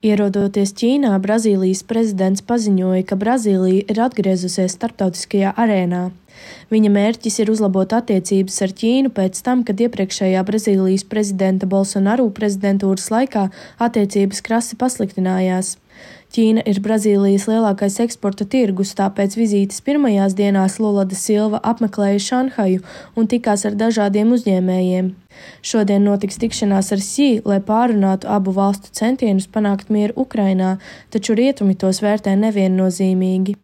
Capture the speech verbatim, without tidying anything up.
Ierodoties Ķīnā, Brazīlijas prezidents paziņoja, ka Brazīlija ir atgriezusies starptautiskajā arēnā. Viņa mērķis ir uzlabot attiecības ar Ķīnu pēc tam, kad iepriekšējā Brazīlijas prezidenta Bolsonaru prezidentūras laikā attiecības krasi pasliktinājās. Ķīna ir Brazīlijas lielākais eksporta tirgus, tāpēc vizītes pirmajās dienās Lula da Silva apmeklēja Šanhaju un tikās ar dažādiem uzņēmējiem. Šodien notiks tikšanās ar Xi, lai pārunātu abu valstu centienus panākt mieru Ukrainā, taču rietumi tos vērtē neviennozīmīgi.